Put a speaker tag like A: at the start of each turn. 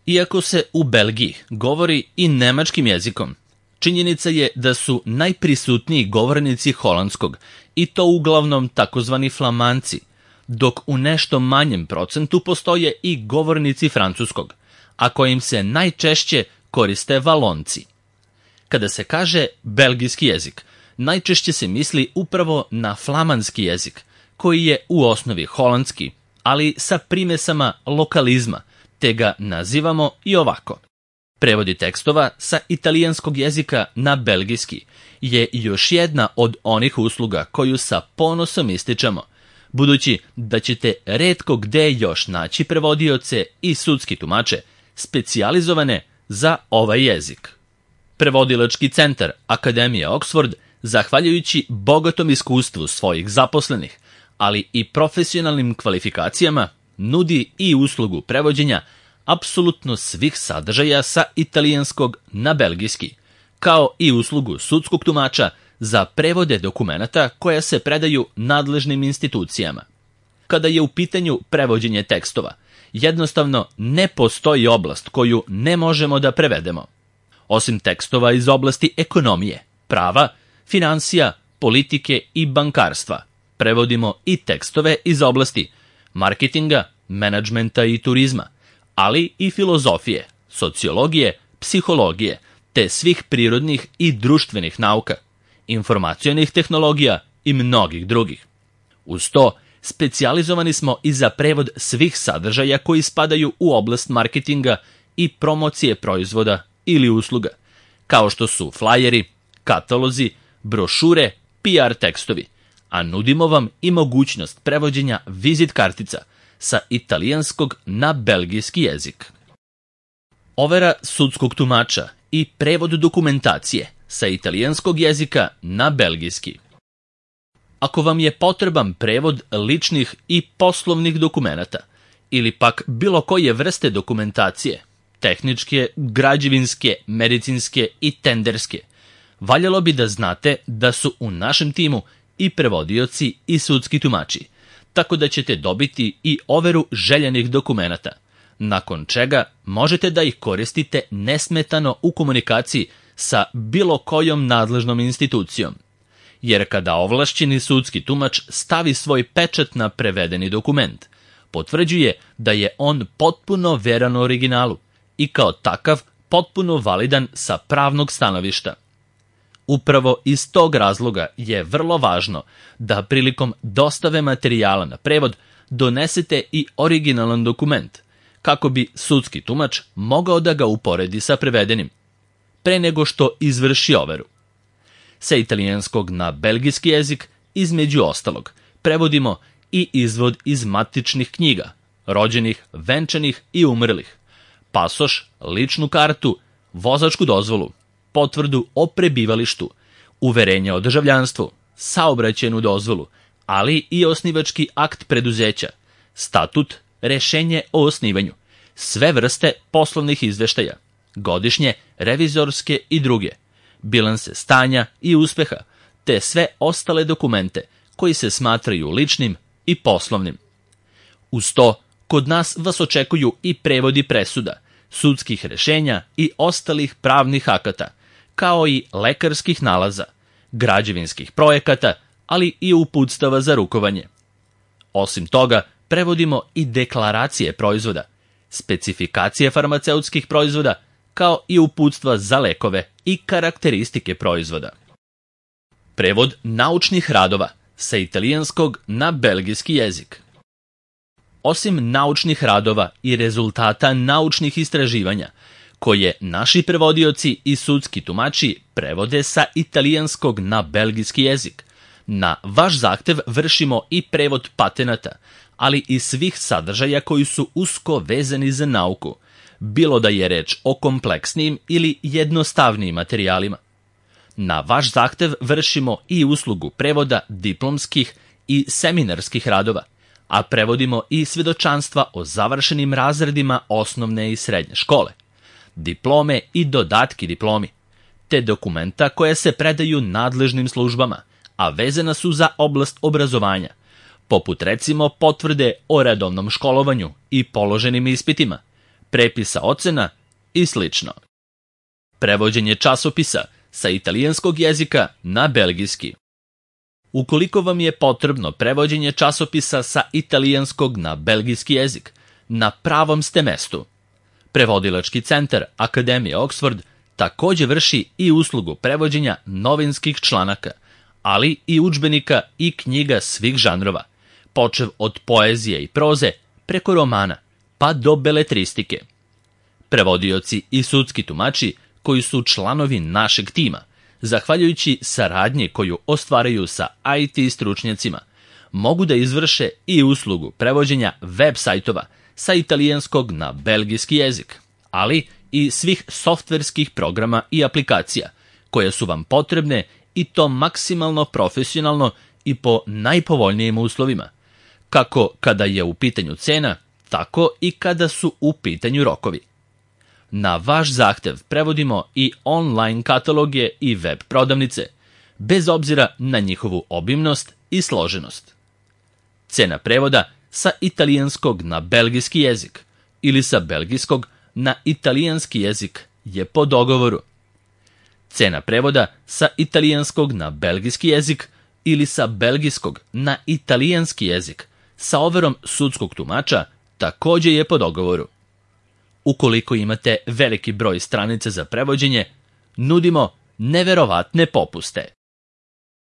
A: Iako se u Belgiji govori i nemačkim jezikom, činjenica je da su najprisutniji govornici holandskog, i to uglavnom takozvani flamanci, dok u nešto manjem procentu postoje i govornici francuskog, a kojim se najčešće koriste valonci. Kada se kaže belgijski jezik, najčešće se misli upravo na flamanski jezik, koji je u osnovi holandski, ali sa primesama lokalizma, te ga nazivamo i ovako. Prevodi tekstova sa italijanskog jezika na belgijski je još jedna od onih usluga koju sa ponosom ističemo, budući da ćete retko gde još naći prevodioce i sudski tumače specijalizovane za ovaj jezik. Prevodilački centar Akademije Oxford, zahvaljujući bogatom iskustvu svojih zaposlenih, ali i profesionalnim kvalifikacijama, nudi i uslugu prevođenja apsolutno svih sadržaja sa italijanskog na belgijski, kao i uslugu sudskog tumača za prevode dokumenata koja se predaju nadležnim institucijama. Kada je u pitanju prevođenje tekstova, jednostavno ne postoji oblast koju ne možemo da prevedemo. Osim tekstova iz oblasti ekonomije, prava, finansija, politike i bankarstva, prevodimo i tekstove iz oblasti marketinga, menadžmenta i turizma, ali i filozofije, sociologije, psihologije, te svih prirodnih i društvenih nauka, informacionih tehnologija i mnogih drugih. Uz to, specijalizovani smo i za prevod svih sadržaja koji spadaju u oblast marketinga i promocije proizvoda ili usluga, kao što su flajeri, katalozi, brošure, PR tekstovi, a nudimo vam i mogućnost prevođenja vizit kartica sa italijanskog na belgijski jezik. Overa sudskog tumača i prevod dokumentacije sa italijanskog jezika na belgijski. Ako vam je potreban prevod ličnih i poslovnih dokumenata ili pak bilo koje vrste dokumentacije, tehničke, građevinske, medicinske i tenderske, valjalo bi da znate da su u našem timu i prevodioci i sudski tumači, tako da ćete dobiti i overu željenih dokumenata, nakon čega možete da ih koristite nesmetano u komunikaciji sa bilo kojom nadležnom institucijom. Jer kada ovlašćeni sudski tumač stavi svoj pečat na prevedeni dokument, potvrđuje da je on potpuno veran originalu i kao takav potpuno validan sa pravnog stanovišta. Upravo iz tog razloga je vrlo važno da prilikom dostave materijala na prevod donesete i originalan dokument, kako bi sudski tumač mogao da ga uporedi sa prevedenim, pre nego što izvrši overu. Sa italijanskog na belgijski jezik, između ostalog, prevodimo i izvod iz matičnih knjiga, rođenih, venčanih i umrlih, pasoš, ličnu kartu, vozačku dozvolu, potvrdu o prebivalištu, uverenje o državljanstvu, saobraćajnu dozvolu, ali i osnivački akt preduzeća, statut, rešenje o osnivanju, sve vrste poslovnih izveštaja, godišnje, revizorske i druge, bilanse stanja i uspeha, te sve ostale dokumente koji se smatraju ličnim i poslovnim. Uz to, kod nas vas očekuju i prevodi presuda, sudskih rešenja i ostalih pravnih akata, kao i lekarskih nalaza, građevinskih projekata, ali i uputstava za rukovanje. Osim toga, prevodimo i deklaracije proizvoda, specifikacije farmaceutskih proizvoda, kao i uputstva za lekove i karakteristike proizvoda. Prevod naučnih radova sa italijanskog na belgijski jezik. Osim naučnih radova i rezultata naučnih istraživanja, koje naši prevodioci i sudski tumači prevode sa italijanskog na belgijski jezik, na vaš zahtev vršimo i prevod patenata, ali i svih sadržaja koji su usko vezani za nauku, bilo da je reč o kompleksnijim ili jednostavnijim materijalima. Na vaš zahtev vršimo i uslugu prevoda diplomskih i seminarskih radova, a prevodimo i svedočanstva o završenim razredima osnovne i srednje škole, diplome i dodatki diplomi, te dokumenta koje se predaju nadležnim službama, a vezana su za oblast obrazovanja, poput recimo potvrde o redovnom školovanju i položenim ispitima, prepisa ocena i sl. Prevođenje časopisa sa italijanskog jezika na belgijski. Ukoliko vam je potrebno prevođenje časopisa sa italijanskog na belgijski jezik, na pravom ste mestu. Prevodilački centar Akademije Oxford takođe vrši i uslugu prevođenja novinskih članaka, ali i udžbenika i knjiga svih žanrova, počev od poezije i proze preko romana, pa do beletristike. Prevodioci i sudski tumači koji su članovi našeg tima, zahvaljujući saradnji koju ostvaraju sa IT stručnjacima, mogu da izvrše i uslugu prevođenja web sajtova sa italijanskog na belgijski jezik, ali i svih softverskih programa i aplikacija koje su vam potrebne i to maksimalno profesionalno i po najpovoljnijim uslovima, kako kada je u pitanju cena, tako i kada su u pitanju rokovi. Na vaš zahtev prevodimo i online kataloge i web prodavnice, bez obzira na njihovu obimnost i složenost. Cena prevoda sa italijanskog na belgijski jezik ili sa belgijskog na italijanski jezik je po dogovoru. Cena prevoda sa italijanskog na belgijski jezik ili sa belgijskog na italijanski jezik sa overom sudskog tumača takođe je po dogovoru. Ukoliko imate veliki broj stranica za prevođenje, nudimo neverovatne popuste.